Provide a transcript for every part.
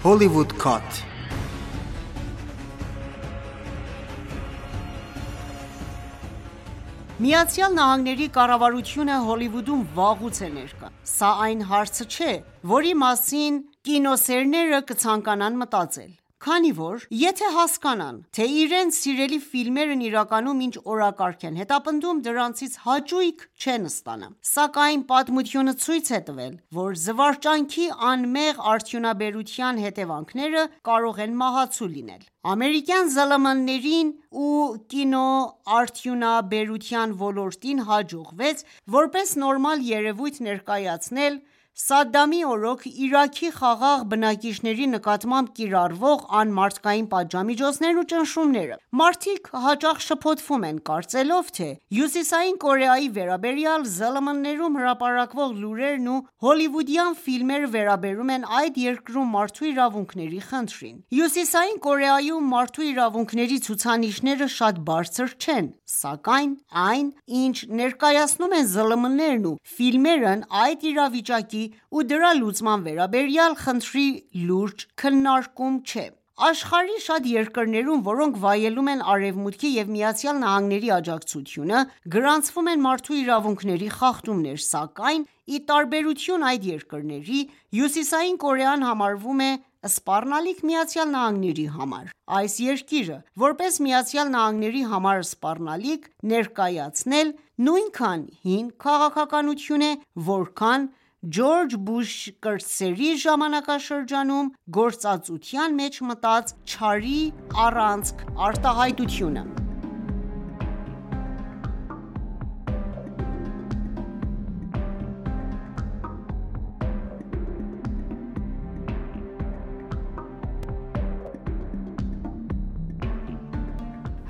Hollywood Cut. Միացյալ Նահանգների կառավարությունը Հոլիվուդում վաղուց է ներկա: Սա այն հարցը չէ, որի մասին կինոսերները կցանկանան մտածել: Քանի որ եթե հասկանան, թե իրենց սիրելի ֆիլմերն իրականում ինչ օրակարգ են հետապնդում, դրանցից հաճույք չեն ստանա: Սակայն պատմությունը ցույց է տվել, որ զվարճանքի անմեղ արդյունաբերության հետևանքները կարող են մահացու լինել: Ամերիկյան ԶԼՄ-ներին ու կինոարդյունաբերության ոլորտին հաջողվեց որպես նորմալ երևույթ ներկայացնել Սադդամի օրոք Իրաքի խաղաղ բնակիչների նկատմամբ կիրառվող անմարդկային պատժամիջոցներն ու ճնշումները: Մարդիկ հաճախ շփոթվում են, կարծելով, թե Հյուսիսային Կորեայի վերաբերյալ ԶԼՄ-ներում հրապարակվող լուրերն ու հոլիվուդյան ֆիլմերը վերաբերում են այդ երկրում մարդու իրավունքների խնդրին: Հյուսիսային Կորեայում մարդու իրավունքների ցուցանիշները շատ բարձր չեն, սակայն այն, ինչ ներկայացնում են ԶԼՄ-ներն ու ֆիլմերն այդ իրավիճակի ու դրա լուծման վերաբերյալ խնդրի լուրջ քննարկում չէ: Աշխարհի շատ երկրներում, որոնք վայելում են Արևմուտքի և ԱՄՆ-ի աջակցությունը, գրանցվում են մարդու իրավունքների խախտումներ, սակայն ի տարբերություն այդ երկրների, Հյուսիսային Կորեան համարվում է սպառնալիք ԱՄՆ-ի համար: Այս երկիրը, որպես ԱՄՆ-ի համար սպառնալիք ներկայացնել, նույնքան հին քաղաքականություն է, որքան Ջորջ Բուշ կրտսերի ժամանակաշրջանում գործածության մեջ մտած չարի առանցք արտահայտությունը: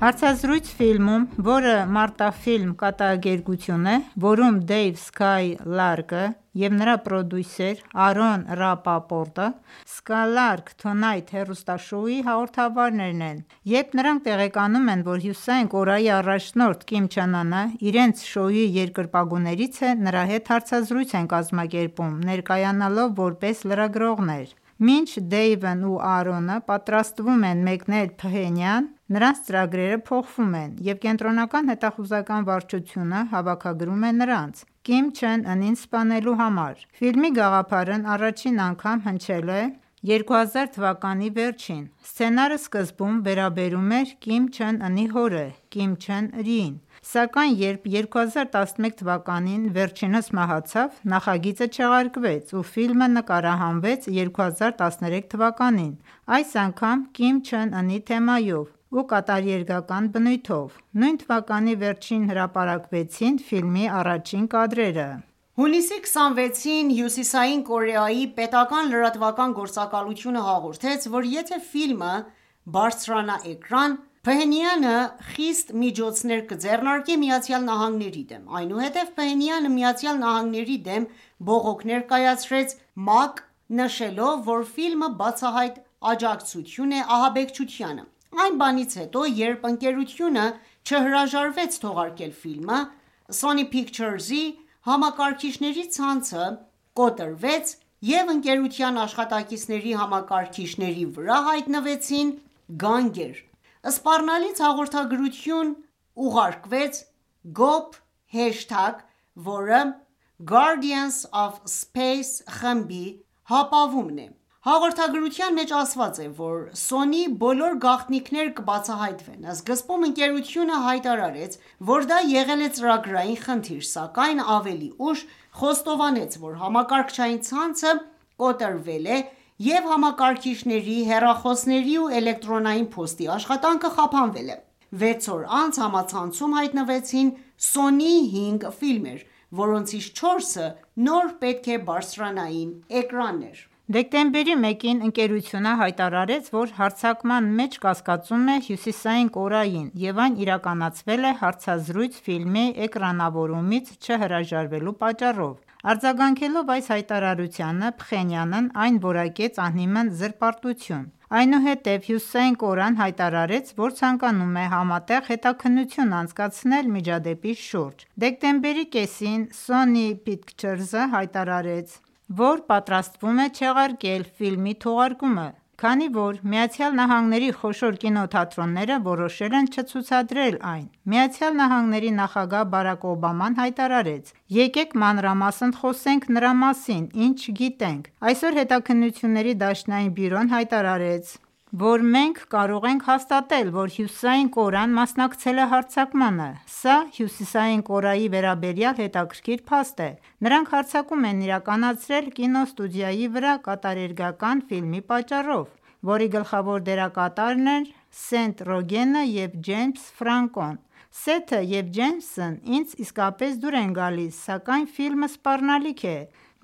Հարցազրույց ֆիլմում, որը մարտաֆիլմ կատակերգություն է, որում Դեյվ Սքայ Լարկը և նրա պրոդյուսեր Արոն Ռապապորտը «Skylark Tonight» հեռուստաշոուի հաղորդավարներն են, երբ նրանք տեղեկանում են, որ Հյուսիսային Կորեայի առաջնորդ Կիմ Չեն Ընը իրենց շոուի երկրպագուներից է, նրա հետ հարցազրույց են կազմակերպում, ներկայանալով որպես լրագրողներ: Մինչ Դեյվն ու Արոնը պատրաստվում են մեկնել Փհենյան, նրանց ծրագրերը փոխվում են, և Կենտրոնական հետախուզական վարչությունը հավաքագրում է նրանց՝ Կիմ Չեն Ընին սպանելու համար: Ֆիլմի գաղափարն առաջին անգամ հնչել է 2000 թվականի վերջին: Սցենարը սկզբում վերաբերում էր Կիմ Չեն Ընի հորը՝ Կիմ Չեն Իրին: Սակայն երբ 2011 թվականին վերջինս մահացավ, նախագիծը չեղարկվեց ու ֆիլմը նկարահանվեց 2013 թվականին, այս անգամ Կիմ Չեն Ընի թեմայով ու կատակերգական բնույթով: Նույն թվականի վերջին հրապարակվեցին ֆիլմի առաջին կադրերը: Հունիսի 26-ին Հյուսիսային Կորեայի պետական լրատվական գործակալությունը հաղորդեց, որ եթե ֆիլմը բարձրանա էկրան, Փհենյանը խիստ միջոցներ կձեռնարկի ԱՄՆ-ի դեմ: Այնուհետև Փհենյանը ԱՄՆ-ի դեմ բողոք ներկայացրեց ՄԱԿ, նշելով, որ ֆիլմը բացահայտ աջակցություն է ահաբեկչությանը: Այն բանից հետո, երբ ընկերությունը չհրաժարվեց թողարկել ֆիլմը, Sony Pictures-ի համակարգիչների ցանցը կոտրվեց և ընկերության աշխատակիցների համակարգիչների վրա հայտնվեցին գանգեր: Սպառնալից հաղորդագրություն ուղարկվեց gob#, որը Guardians of Space խմբի հապավումն է: Հաղորդագրության մեջ ասված է, որ Sony բոլոր գաղտնիքներ կբացահայտվեն: Սկզբում ընկերությունը հայտարարեց, որ դա եղել է ծրագրային խնդիր, սակայն ավելի ուշ խոստովանեց, որ համակարգչային ցանցը կոտրվել է և համակարգիչների, հեռախոսների ու էլեկտրոնային փոստի աշխատանքը խափանվել է: 6 օր անց համացանցում հայտնվեցին Sony 5 ֆիլմեր, որոնցից 4-ը նոր պետք է բարձրանային էկրաններ: Դեկտեմբերի 1-ին ընկերությունը հայտարարեց, որ հարձակման մեջ կասկածում է Հյուսիսային Կորեային և այն իրականացվել է հարցազրույց ֆիլմի էկրանավորումից չհրաժարվելու պատճառով: Արձագանքելով այս հայտարարությանը, Փխենյանն այն որակեց անհիմն զրպարտություն: Այնուհետև Հյուսիսային Կորեան հայտարարեց, որ ցանկանում է համատեղ հետաքննություն անցկացնել միջադեպի շուրջ: Դեկտեմբերի կեսին Sony Pictures-ը հայտարարեց, որ պատրաստվում է չեղարկել ֆիլմի թողարկումը, քանի որ ԱՄՆ-ի խոշոր կինոթատրոնները որոշել են չցուցադրել այն։ ԱՄՆ նախագահ Բարաք Օբաման հայտարարեց. «Եկեք մանրամասն խոսենք նրա մասին, ինչ գիտենք»։ Այսօր Հետաքննությունների դաշնային բյուրոն հայտարարեց, որ մենք կարող ենք հաստատել, որ Հյուսիսային Կորեան մասնակցել է հարձակմանը։ Սա Հյուսիսային Կորեայի վերաբերյալ հետաքրքիր փաստ է։ Նրանք հարձակում են իրականացրել կինոստուդիայի վրա կատարերգական ֆիլմի պատճառով, որի գլխավոր դերակատարներն են Սեթ Ռոգենը և Ջեյմս Ֆրանկոն։ Սեթը և Ջեյմսն ինձ իսկապես դուր են գալիս, սակայն ֆիլմը սպառնալիք է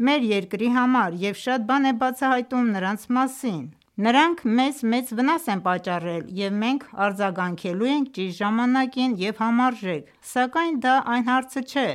մեր երկրի համար և շատ բան է բացահայտում նրանց մասին։ Նրանք մեզ մեծ վնաս են պատճառել, և մենք արձագանքելու ենք ճիշտ ժամանակին և համարժեք։ Սակայն դա այն հարցը չէ,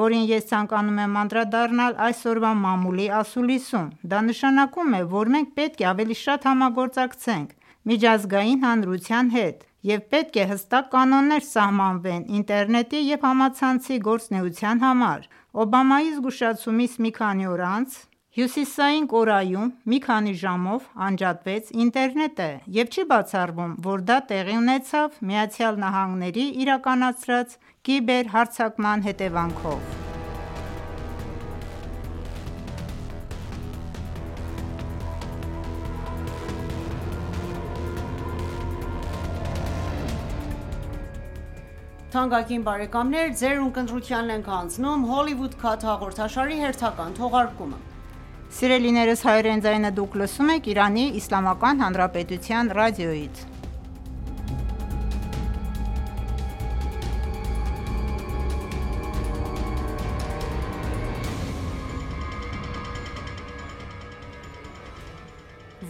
որին ես ցանկանում եմ անդրադառնալ այսօրվա մամուլի ասուլիսում։ Դա նշանակում է, որ մենք պետք է ավելի շատ համագործակցենք միջազգային հանրության հետ, և պետք է հստակ կանոններ սահմանվեն ինտերնետի և համացանցի գործունեության համար։ Օբամայի զգուշացումից մի քանի օր անց Հյուսիսային Կորեայում մի քանի ժամով անջատվեց ինտերնետը, և չի բացառվում, որ դա տեղի ունեցավ ԱՄՆ-ի իրականացրած կիբերհարձակման հետևանքով։ Թանկագին բարեկամներ, ձեր ունկնդրությանն ենք հանձնում Hollywood Cut հաղորդաշարի հերթական թողարկումը։ Սիրելիներս, հայրեն ձայնը դուք լսում եք Իրանի Իսլամական Հանրապետության ռադիոյից։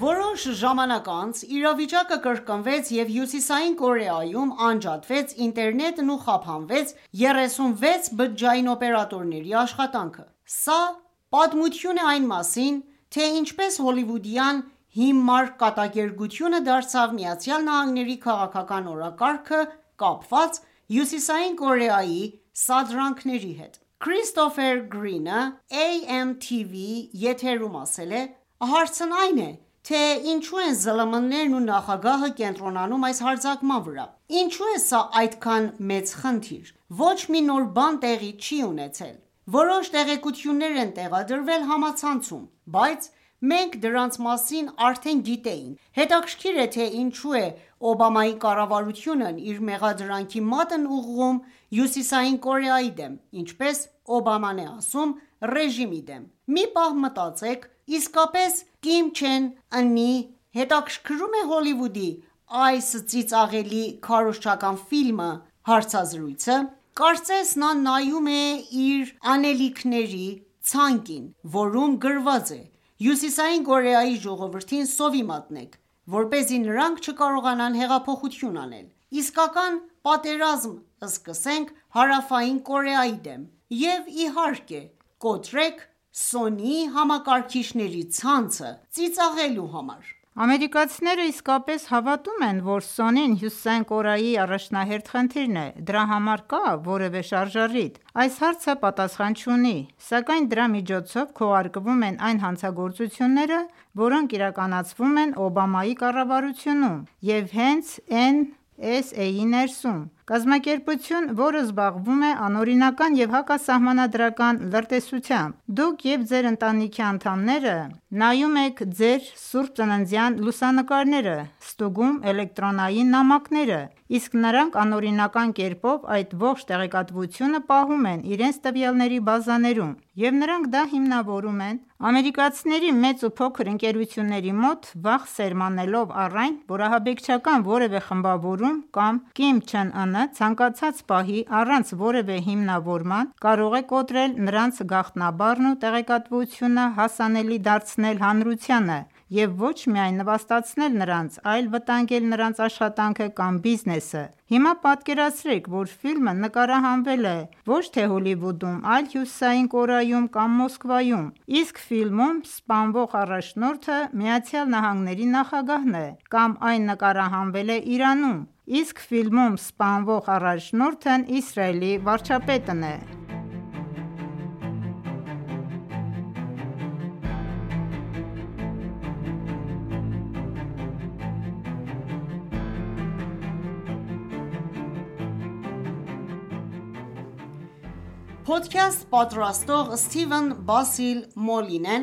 Որոշ ժամանակ անց իրավիճակը կրկնվեց և Հյուսիսային Կորեայում անջատվեց ինտերնետն ու խափանվեց 36 բջջային օպերատորների աշխատանքը։ Սա պատմություն է այն մասին, թե ինչպես հոլիվուդյան հիմար կատակերգությունը դարձավ ԱՄՆ-ի քաղաքական օրակարգը կապված Հյուսիսային Կորեայի սադրանքների հետ։ Քրիստոֆեր Գրինը AMTV եթերում ասել է.«Հարցն այն է, թե ինչու են ԶԼՄ-ներն ու նախագահը կենտրոնանում այս հարձակման վրա։ Ինչու է սա այդքան մեծ խնդիր։ Ոչ մի նոր բան տեղի չի ունեցել։ Որոշ տեղեկություններ են տեղադրվել համացանցում, բայց մենք դրանց մասին արդեն գիտեինք։ Հետաքրքիր է, թե ինչու է Օբամայի կառավարությունն իր մեղադրանքի մատն ուղղում Հյուսիսային Կորեայի դեմ, ինչպես Օբաման է ասում, ռեժիմի դեմ։ Մի պահ մտածեք, իսկապես Կիմ Չեն Ընի հետաքրքրու՞մ է Հոլիվուդի այս ծիծաղելի քարոզչական ֆիլմը հարցազրույցը։ Կարծես նա նայում է իր անելիքների ցանկին, որում գրված է Հյուսիսային Կորեայի ժողովրդին սովի մատնեք, որպեսզի նրանք չկարողանան հեղափոխություն անել։ Իսկական պատերազմ սկսենք Հարավային Կորեայի դեմ և իհարկե կոտրեք Սոնիի համակարգիչների ցանցը ծիծաղելու համար»։ Ամերիկացիները իսկապես հավատում են, որ Սոնին Հյուսիսային Կորեայի առաջնահերթ խնդիրն է։ Դրա համար կա՞ որևէ շարժառիթ։ Այս հարցը պատասխան չունի, սակայն դրա միջոցով քողարկվում են այն հանցագործությունները, որոնք իրականացվում են Օբամայի կառավարությունում և հենց NSA-ի ներսում։ Կազմակերպություն, որը զբաղվում է անօրինական և հակասահմանադրական լրտեսությամբ։ Դուք և ձեր ընտանիքի անդամները նայում եք ձեր սուրբ ծննդյան լուսանկարները, ստուգում էլեկտրոնային նամակները, իսկ նրանք անօրինական կերպով այդ ողջ տեղեկատվությունը պահում են իրենց տվյալների բազաներում, և նրանք դա հիմնավորում են ամերիկացիների մեծ ու փոքր ընկերությունների մոտ, վախ սերմանելով առ այն, որ ահաբեկչական որևէ խմբավորում կամ Կիմ Չեն Ընը ցանկացած պահի առանց որևէ հիմնավորման կարող է կոտրել նրանց գաղտնաբառն ու տեղեկատվությունը հասանելի դարձնել հանրությանը և ոչ միայն նվաստացնել նրանց, այլ վտանգել նրանց աշխատանքը կամ բիզնեսը։ Հիմա պատկերացրեք, որ ֆիլմը նկարահանվել է ոչ թե Հոլիվուդում, այլ Հյուսիսային Կորեայում կամ Մոսկվայում, իսկ ֆիլմում սպանվող առաջնորդը ԱՄՆ-ի նախագահն է, կամ այն նկարահանվել է Իրանում, իսկ ֆիլմում սպանվող առաջնորդն Իսրայելի վարչապետն է։ Փոդքասթ պատրաստող Սթիվեն Բասիլ Մոլինեն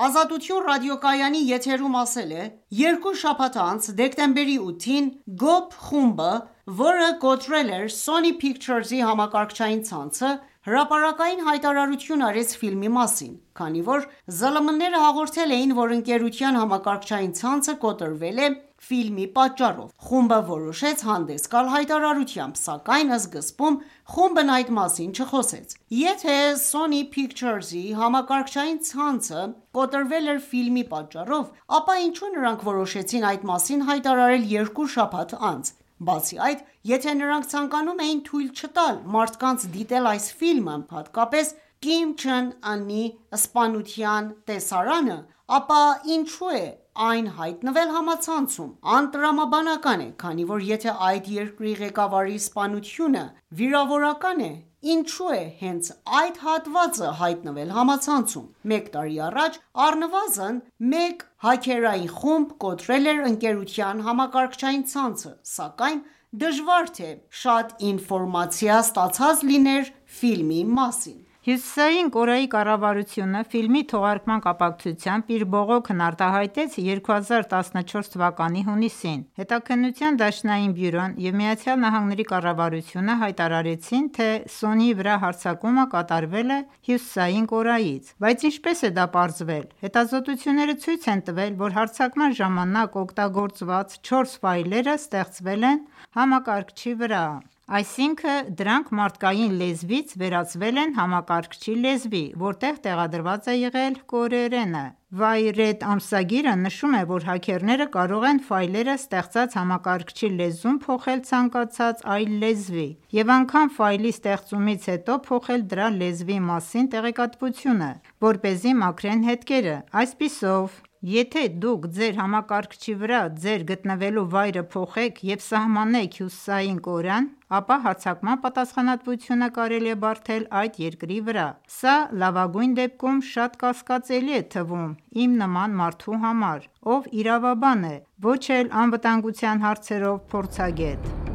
Ազատություն ռադիոկայանի եթերում ասել է.«Երկու շաբաթ անց, դեկտեմբերի 8-ին, GOP խումբը, որը կոտրել էր Sony Pictures-ի համակարգչային ցանցը, հրապարակային հայտարարություն արեց ֆիլմի մասին, քանի որ ԶԼՄ-ները հաղորդել էին, որ ընկերության համակարգչային ցանցը կոտրվել է ֆիլմի պատճառով։ Խումբը որոշեց հանդես գալ հայտարարությամբ, սակայն սկզբում խումբն այդ մասին չխոսեց։ Եթե Sony Pictures-ի համակարգչային ցանցը կոտրվել էր ֆիլմի պատճառով, ապա ինչու նրանք որոշեցին այդ մասին հայտարարել երկու շաբաթ անց։ Բացի այդ, եթե նրանք ցանկանում էին թույլ չտալ մարդկանց դիտել այս ֆիլմը, հատկապես Կիմ Չեն Ընի սպանության տեսարանը, ապա ինչու է այն հայտնվել համացանցում։ Անտրամաբանական է, քանի որ եթե այդ երկրի ղեկավարի սպանությունը վիրավորական է, ինչու է հենց այդ հատվածը հայտնվել համացանցում։ Մեկ տարի առաջ առնվազն մեկ հաքերային խումբ կոտրել էր ընկերության համակարգչային ցանցը, սակայն դժվար թե շատ ինֆորմացիա ստացած լիներ ֆիլմի մասին»։ Հյուսիսային Կորեայի կառավարությունը ֆիլմի թողարկման կապակցությամբ իր բողոքն արտահայտեց 2014 թվականի հունիսին։ Հետաքննության դաշնային բյուրոն և ԱՄՆ կառավարությունը հայտարարեցին, թե Sony-ի վրա հարձակումը կատարվել է Հյուսիսային Կորեայից։ Բայց ինչպե՞ս է դա պարզվել։ Հետազոտությունները ցույց են տվել, որ հարձակման ժամանակ օգտագործված 4 ֆայլերը ստեղծվել են համակարգչի վրա, այսինքն դրանք մարդկային լեզվից վերածվել են համակարգչի լեզվի, որտեղ տեղադրված է եղել կորեերենը։ Wired ամսագիրը նշում է, որ հաքերները կարող են ֆայլերը ստեղծած համակարգչի լեզուն փոխել ցանկացած այլ լեզվի և անգամ ֆայլի ստեղծումից հետո փոխել դրա լեզվի մասին տեղեկատվությունը, որպեսզի մաքրեն հետքերը։ Այսպիսով, եթե դուք ձեր համակարգչի վրա ձեր գտնվելու վայրը փոխեք և սահմանեք Հյուսիսային Կորեան, ապա հարձակման պատասխանատվությունը կարելի է բարդել այդ երկրի վրա։ Սա լավագույն դեպքում շատ կասկածելի է թվում իմ նման մարդու համար, ով իրավաբան է, ոչ էլ անվտանգության հարցերով փորձագետ։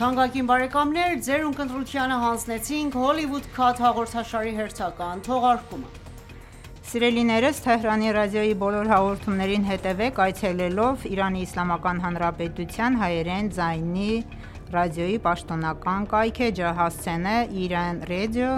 Թանկագին բարեկամներ, ձեր ունկնդրությանը հանձնեցինք Hollywood Cut հաղորդաշարի հերթական թողարկումը։ Սիրելիներս, Թեհրանի ռադիոյի բոլոր հաղորդումներին հետևեք այցելելով ԻԻՀ հայերեն ձայնի ռադիոյի պաշտոնական կայքէջը հասցենը iranradio.ir/hy